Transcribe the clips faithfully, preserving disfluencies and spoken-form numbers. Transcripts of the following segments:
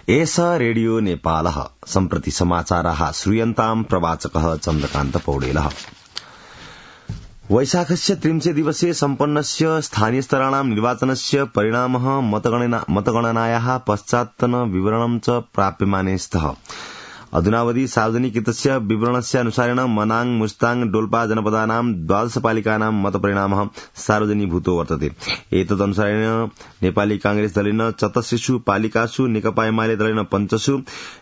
एष रेडियो नेपालः सम्प्रति समाचाराः श्रूयन्ताम् प्रवाचकः चन्द्रकान्त पौडेलः। वैशाखस्य त्रिंशे दिवसे सम्पन्नस्य स्थानीयस्तराणां निर्वाचनस्य परिणामः मतगणनायाः पश्चात्तन विवरणं च प्राप्यमाने स्तः। अधुनावधि सार्वजनिकृतस्य विवरणस्य अनुसारेण मनाङ मुस्ताङ डोल्पा जनपदानां द्वादशपालिकानां मतपरिणामः सार्वजनीभूतो वर्तते। एतदनुसारेण नेपाली कांग्रेस दलेन चतसृषु पालिकासु, नेकपा एमाले दलेन पञ्चसु,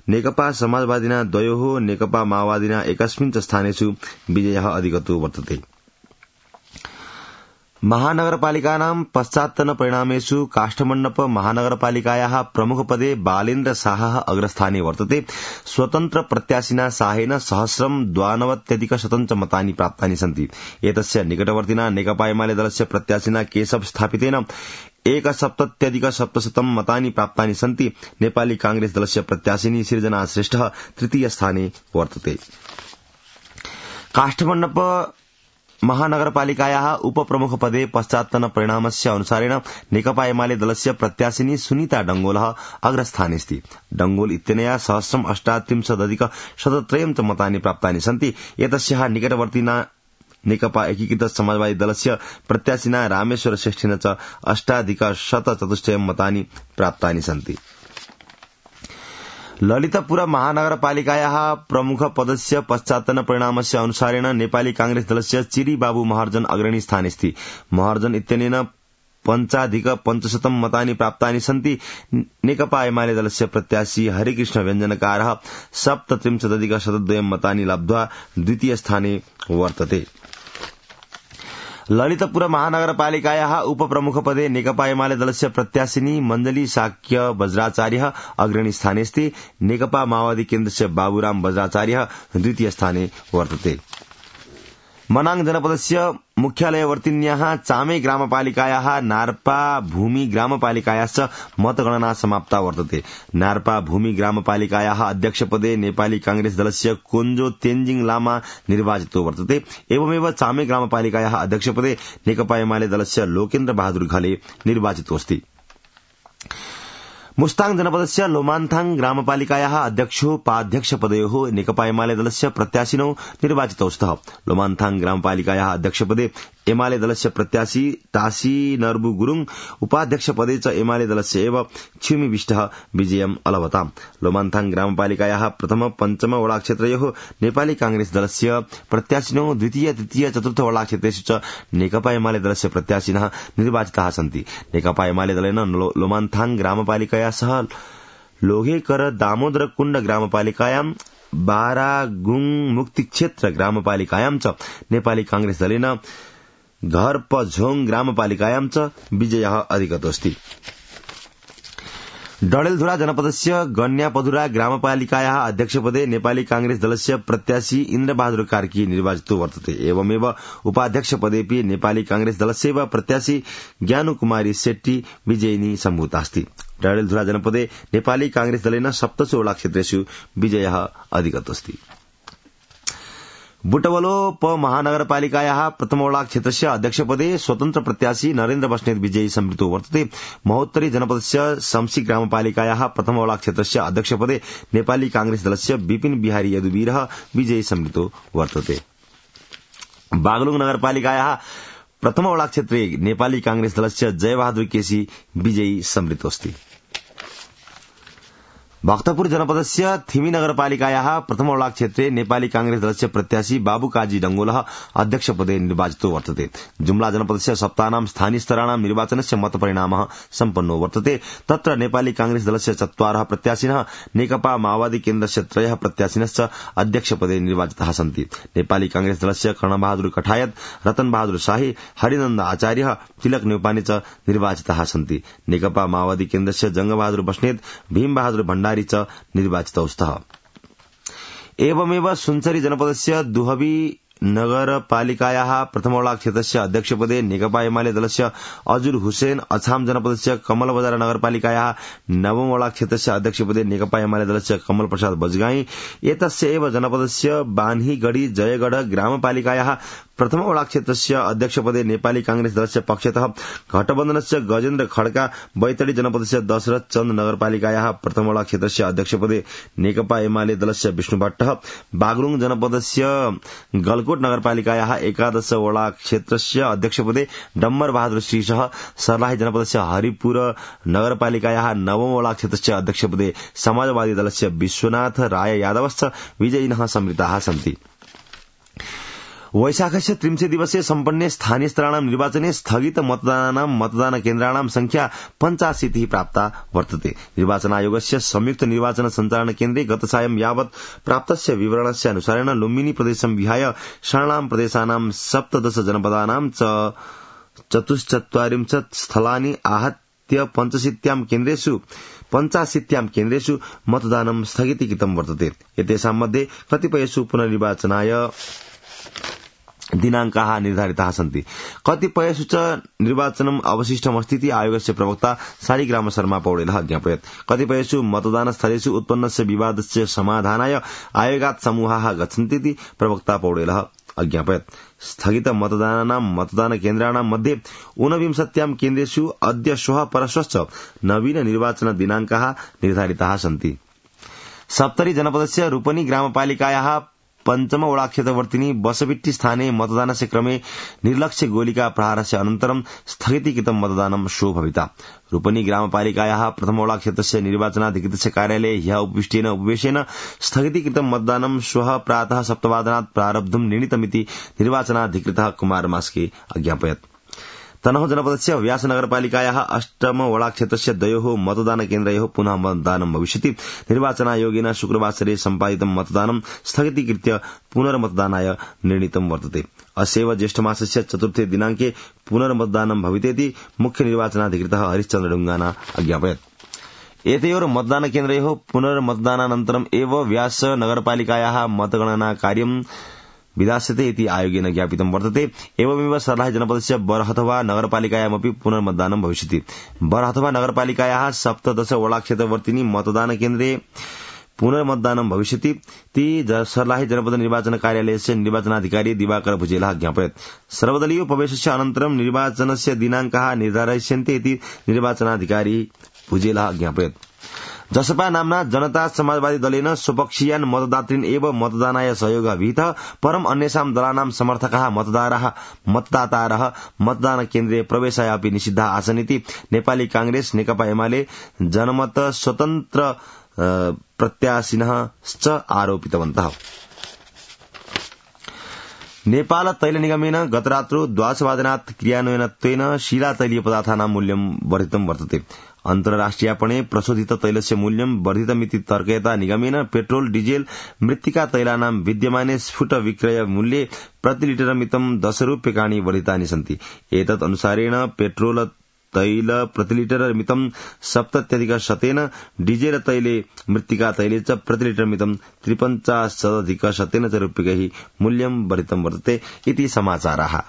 नेकपा समाजवादिना द्वयोः, नेकपा माओवादिना एकस्मिन् च स्थानेषु विजयः अधिगतो वर्तते। महानगरपालिकानां पश्चात्तन परिणामेषु काष्ठमण्डप महानगरपालिकायाः प्रमुखपदे बालेन्द्र शाहः अग्रस्थाने वर्तते। स्वतन्त्र प्रत्याशिना शाहेन सहस्रं द्वानवत्यधिकशतं च मतानि प्राप्तानि सन्ति। एतस्य निकटवर्तिना नेकपा एमाले दलस्य प्रत्याशिना केशव स्थापितेन एकसप्तत्यधिक सप्तशतं मतानि प्राप्तानि सन्ति। नेपाली कांग्रेस दलस्य प्रत्याशिनी सृजना श्रेष्ठः तृतीय स्थाने वर्तते। काष्ठमण्डप महानगरपालिकायाः उपप्रमुखपदे पश्चात्तन परिणामस्य अनुसारेण नेकपा एमाले दलस्य प्रत्याशिनी सुनीता डंगोलः अग्रस्थानेऽस्ति। डंगोल इत्यनया सहस्रम् अष्टात्रिंशदधिक शतत्रयं च मतानि प्राप्तानि सन्ति। एतस्याः निकटवर्तिना नेकपा एकीकृत समाजवादी दलस्य प्रत्याशिना रामेश्वर श्रेष्ठेन च अष्टाधिक शतचतुष्टयं मतानि प्राप्तानि सन्ति। ललितपुर महानगरपालिकायाः प्रमुख पदस्य पश्चात्तन परिणामस्य अनुसारेण नेपाली कांग्रेस दलस्य चिरी बाबु महर्जन अग्रणी स्थानेऽस्ति। महर्जन इत्यनेन पञ्चाधिक पञ्चशतं मतानि प्राप्तानि सन्ति। नेकपा एमाले दलस्य प्रत्याशी हरिकृष्ण व्यञ्जनकारः सप्तत्रिंशदधिक शतद्वयं मतानि लब्ध्वा द्वितीय स्थाने वर्तते। ललितपुर महानगरपालिकायाः उपप्रमुखपदे नेकपा एमाले दलस्य प्रत्याशिनी मञ्जली शाक्य वज्राचार्यः अग्रणी स्थानेऽस्ति। नेकपा माओवादी केन्द्रस्य बाबुराम वज्राचार्यः द्वितीय स्थाने वर्तते। मनाङ जनपदस्य मुख्यालयवर्तिन्याः चामे ग्रामपालिकायाः नार्पा भूमि ग्रामपालिकायाश्च मतगणना समाप्ता वर्तते। नार्पा भूमि ग्रामपालिकायाः अध्यक्षपदे नेपाली कांग्रेस दलस्य कोञ्जो तेन्जिङ लामा निर्वाचितो वर्तते। एवमेव चामे ग्रामपालिकायाः अध्यक्षपदे नेकपा एमाले दलस्य लोकेन्द्र बहादुर घले निर्वाचितोऽस्ति। मुस्ताङ जनपदस्य लोमान्थाङ ग्रामपालिकायाः अध्यक्षोपाध्यक्षपदयोः नेकपा एमाले दलस्य प्रत्याशिनौ निर्वाचितौ स्तः। लोमान्थाङ ग्रामपालिकायाः अध्यक्षपदे एमाले दलस्य प्रत्याशी टासी नर्बु गुरुङ, उपाध्यक्षपदे च एमाले दलस्य एव छिमी विष्टः विजयम् अलभताम्। लोमान्थाङ ग्रामपालिकायाः प्रथम पञ्चम वडाक्षेत्रयोः नेपाली कांग्रेस दलस्य प्रत्याशिनौ, द्वितीय तृतीय चतुर्थ वडाक्षेत्रेषु च नेकपा एमाले दलस्य प्रत्याशिनः निर्वाचिताः सन्ति। नेकपा एमाले दलेन लोमान्थाङ ग्रामपालिकाया सह लोहेकर दामोदर कुण्ड ग्रामपालिकायां, बारागुङ मुक्तिक्षेत्र ग्रामपालिकायां च नेपाली कांग्रेस दलेन घरपझोङ ग्रामपालिकायां च विजयः अधिगतोऽस्ति। डडेलधुरा जनपदस्य गन्यापधुरा ग्रामपालिकायाः अध्यक्षपदे नेपाली कांग्रेस दलस्य प्रत्याशी इन्द्रबहादुर कार्की निर्वाचितो वर्तते। एवमेव उपाध्यक्षपदेपि नेपाली कांग्रेस दलस्यैव प्रत्याशी ज्ञानुकुमारी शेट्टी विजयिनी सम्भूतास्ति। डडेलधुरा जनपदे नेपाली कांग्रेस दलेन सप्तसु वडाक्षेत्रेषु विजयः अधिगतोऽस्ति। बुटवलोप महानगरपालिकायाः प्रथम वडाक्षेत्रस्य अध्यक्षपदे स्वतन्त्र प्रत्याशी नरेन्द्र बस्नेत विजयी सम्मिलितो वर्तते। महोत्तरी जनपदस्य शम्सी ग्रामपालिकायाः प्रथम वडाक्षेत्रस्य अध्यक्षपदे नेपाली कांग्रेस दलस्य विपिन बिहारी यदुवीरः विजयी सम्मिलितो वर्तते। बागलुङ नगरपालिकायाः प्रथम वडाक्षेत्रे नेपाली कांग्रेस दलस्य जयबहादुर केसी विजयी सम्मिलितोऽस्ति। भक्तपुर जनपदस्य थिमी नगरपालिकायाः प्रथम वडाक्षेत्रे नेपाली कांग्रेस दलस्य प्रत्याशी बाबुकाजी डंगोलः अध्यक्षपदे निर्वाचितो वर्तते। जुम्ला जनपदस्य सप्तानां स्थानीयस्तराणां निर्वाचनस्य मतपरिणामः सम्पन्नो वर्तते। तत्र नेपाली कांग्रेस दलस्य चत्वारः प्रत्याशिनः, नेकपा माओवादी केन्द्रस्य त्रयः प्रत्याशिनश्च अध्यक्षपदे निर्वाचिताः सन्ति। नेपाली कांग्रेस दलस्य कर्णबहादुर कठायत, रतन बहादुर शाही, हरिनन्द आचार्य, तिलक न्यौपाने च निर्वाचिताः सन्ति। नेकपा माओवादी केन्द्रस्य जंगबहादुर बस्नेत, भीम बहादुर भण्डारी च निर्वाचितौ स्तः। एवमेव सुनसरी जनपदस्य दुहबी नगरपालिकायाः प्रथम वडाक्षेत्रस्य अध्यक्षपदे नेकपा एमाले दलस्य अजुर हुसेन, अछाम जनपदस्य कमल बजार नगरपालिकायाः नवम वडाक्षेत्रस्य अध्यक्षपदे नेकपा एमाले दलस्य कमल प्रसाद बजगाई, एतस्य एव जनपदस्य बान्हीगढ़ी जयगढ़ ग्रामपालिकायाः प्रथमवला क्षेत्रस्य अध्यक्षपदे नेपाली कांग्रेस दलस्य पक्षतः घटबन्धनस्य गजेन्द्र खड्का, बैतडी जनपदस्य दशरथ चन्द नगरपालिकायाः प्रथमवला क्षेत्रस्य अध्यक्षपदे नेकपा एमाले दलस्य विष्णु भट्ट, बागलुङ जनपदस्य गलकोट नगरपालिकायाः एकादशवला क्षेत्रस्य अध्यक्षपदे डम्बर बहादुर श्रीसह, सर्लाही जनपदस्य हरिपुर नगरपालिकायाः नवमवला क्षेत्रस्य अध्यक्षपदे समाजवादी दलस्य विश्वनाथ राय यादवश्च विजयिनः सम्मिलिताः सन्ति। वैशाखस्य त्रिंशे दिवसे सम्पन्ने स्थानीय स्तराणां निर्वाचने स्थगित मतदानानां मतदानकेन्द्राणां संख्या पञ्चाशीतिः प्राप्ता वर्तते। निर्वाचन आयोगस्य संयुक्त निर्वाचन सञ्चालन केन्द्रे गत सायं यावत् प्राप्तस्य विवरणस्य अनुसारेण लुम्बिनी प्रदेशं विहाय षण्णां प्रदेशानां सप्तदश जनपदानां च चतुश्चत्वारिंशत् स्थलानि आहत्य पञ्चशीत्यां केन्द्रेषु पञ्चाशीत्यां केन्द्रेषु मतदानं स्थगितीकृतं वर्तते। एतेषां मध्ये कतिपयेषु पुनर्निर्वाचनाय दिनांकाः निर्धारिताः सन्ति। कतिपयेषु च निर्वाचनम् अवशिष्टमस्तीति आयोगस्य प्रवक्ता शालिग्राम शर्मा पौडेलः ज्ञापयत्। कतिपयेषु मतदानस्थलेषु उत्पन्नस्य विवादस्य समाधानाय आयोगात् समूहाः गच्छन्तीति प्रवक्ता पौडेलः अज्ञापयत्। स्थगित मतदानानां मतदानकेन्द्राणां मध्ये ऊनविंशत्यां केन्द्रेषु अद्य श्वः परश्वश्च नवीन निर्वाचन दिनांकाः निर्धारिताः सन्ति। सप्तरी जनपदस्य रूपनी ग्रामपालिकायाः पञ्चमवलाक्षेत्रवर्तिनी बसबिट्टी स्थाने मतदानस्य क्रमे निर्लक्ष्य गोलिका प्रहारस्य अनन्तरं स्थगितीकृतं मतदानं श्वो भविता। रूपनी ग्रामपालिकायाः प्रथमवलाक्षेत्रस्य निर्वाचनाधिकृतस्य कार्यालये ह्यः उपविष्टेन उपवेशेन स्थगितीकृतं मतदानं श्वः प्रातः सप्तवादनात् प्रारब्धुं निर्णीतमिति निर्वाचनाधिकृतः कुमार मास्के अज्ञापयत्। तनहुँ जनपदस्य व्यास नगरपालिकायाः अष्टमवलाक्षेत्रस्य द्वयोः मतदानकेन्द्रयोः पुनः मतदानं भविष्यति। निर्वाचनायोगेन शुक्रवासरे सम्पादितं मतदानं स्थगितीकृत्य पुनर्मतदानाय निर्णीतं वर्तते। अस्यैव ज्येष्ठमासस्य चतुर्थे दिनांके पुनर्मतदानं भवितेति मुख्य निर्वाचनाधिकृतः हरिश्चन्द्र ढुंगाना अज्ञापयत्। एतयोः मतदानकेन्द्रयोः पुनर्मतदानानन्तरम् एव व्यास नगरपालिकायाः मतगणना कार्यं विधास्यते इति आयोगेन ज्ञापितं वर्तते। एवमेव सर्लाही जनपदस्य बरहथवा नगरपालिकायामपि पुनर्मतदानं भविष्यति। बरहथवा नगरपालिकायाः सप्तदशवलाक्षेत्रवर्तिनी मतदानकेन्द्रे पुनर्मतदानं भविष्यति ति सर्लाही जनपद निर्वाचन कार्यालयस्य निर्वाचनाधिकारी दिवाकर भुजेलः ज्ञापयत्। सर्वदलीय प्रवेशस्य अनन्तरं निर्वाचनस्य दिनांकाः निर्धारयिष्यन्ते इति निर्वाचनाधिकारी भुजेलः ज्ञापयत्। जसपा नाम्ना जनता समाजवादी दलेन स्वपक्षीयान् मतदातृन् एव मतदानाय सहयोगः विहितः, परम् अन्येषां दलानां समर्थकाः मतदातारः मतदातारः मतदानकेन्द्रे प्रवेशाय अपि निषिद्धाः आसन् इति नेपाली कांग्रेस, नेकपा एमाले, जनमत स्वतन्त्र प्रत्याशिनः च आरोपितवन्तः। नेपाल तैल निगमेन गतरात्रौ द्वादशवादनात् क्रियान्वयनत्वेन शीला तैलीय पदार्थानां मूल्यं वर्धितं वर्तते। अन्तर्राष्ट्रियापणे प्रशोधित तैलस्य मूल्यं वर्धितमिति तर्कयता निगमेन पेट्रोल, डीजेल, मृत्तिका तैलानां विद्यमाने स्फुट विक्रय मूल्ये प्रतिलिटरमितं दश रूप्यकाणि वर्धितानि सन्ति। एतत् अनुसारेण पेट्रोल तैल प्रतिलिटरमितं सप्तत्यधिक शतेन, डीजेल तैले मृत्तिका तैले च प्रतिलिटरमितं त्रिपञ्चाशदधिक शतेन च रूप्यकैः मूल्यं वर्धितं वर्तते इति समाचाराः।